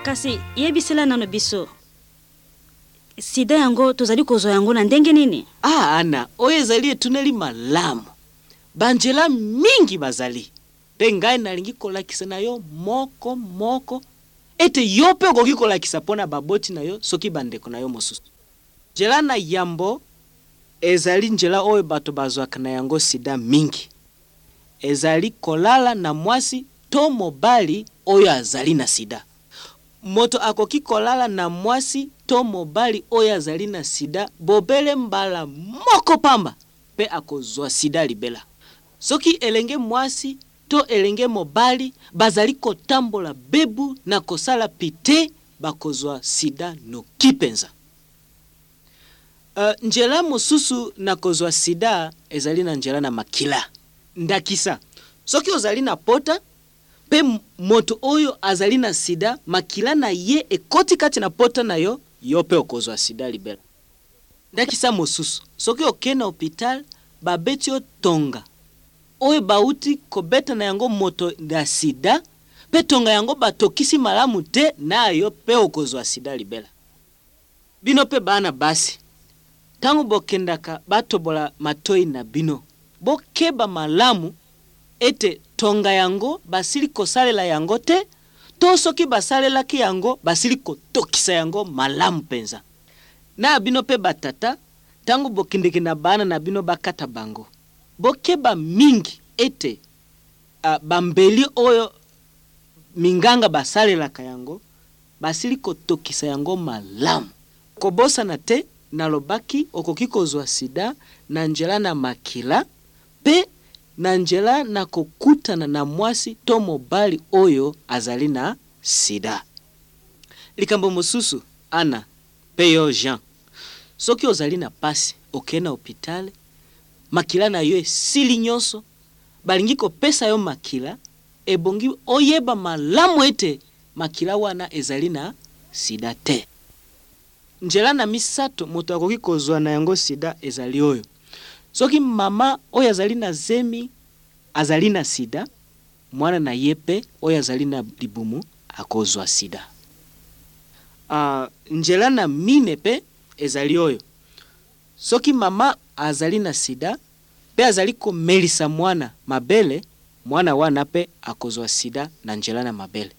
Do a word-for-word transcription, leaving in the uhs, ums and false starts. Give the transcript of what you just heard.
Kasi yebisela nano biso, sida yango tozali kozwa yango na ndenge nini? Ah, Ana, oyo ezali etuneli malamu. Banzela mingi bazali, mpe ngai nalingi kolakisa na yo moko moko ete yo mpe okoki kolakisa mpo na baboti na yo soki bandeko na yo mosusu. Nzela na yambo ezali nzela oyo bato bazwaka na yango sida mingi. Ezali kolala na mwasi to mobali oyo azali na sida. Moto akoki kolala na mwasi to mobali oyo azali na sida bobele mbala moko pamba mpe akozwa sida libela. Soki elenge mwasi to elenge mobali bazali kotambola bebu na kosala pite, bakozwa sida noki mpenza. Uh, nzela mosusu na kozwa sida ezali na nzela na makila. Ndakisa, soki ozali na pota mpe moto oyo azali na sida, makila na ye ekoti kati na pota na yo, yo mpe okozwa sida libela. Ndakisa mosusu, soki okei na hopital, babeti yo tonga oyo bauti kobeta na yango moto ya sida, mpe tonga yango batokisi malamu te, na yo mpe okozwa sida libela. Bino mpe bana basi, ntango bokendaka batobola matoi na bino, bokeba malamu ete tonga yango basili kosalela yango te, to soki basalelaki yango basili kotokisa yango malamu mpenza. Na bino mpe batata, ntango bokendeke na bana na bino bakata bango, bokeba mingi ete uh, bambeli oyo minganga basalelaka yango basili kotokisa yango malamu. Kobosana te, nalobaki okoki kozwa sida na nzela na makila mpe na nzela na kokutana na mwasi to mobali oyo azali na sida. Likambo mosusu, Ana mpe yo Jean, soki ozali na pasi, okei na hopitale, makila na yo esili nyonso, balingi kopesa yo makila, ebongi oyeba malamu ete makila wana ezali na sida te. Nzela na misato moto akoki kozwa na yango sida ezali oyo: soki mama oyo azali na zemi azali na sida, mwana na ye mpe oyo azali na libumu akozwa sida. Uh, nzela na mine mpe ezali oyo: soki mama azali na sida mpe azali komelisa mwana mabele, mwana wana mpe akozwa sida na nzela na mabele.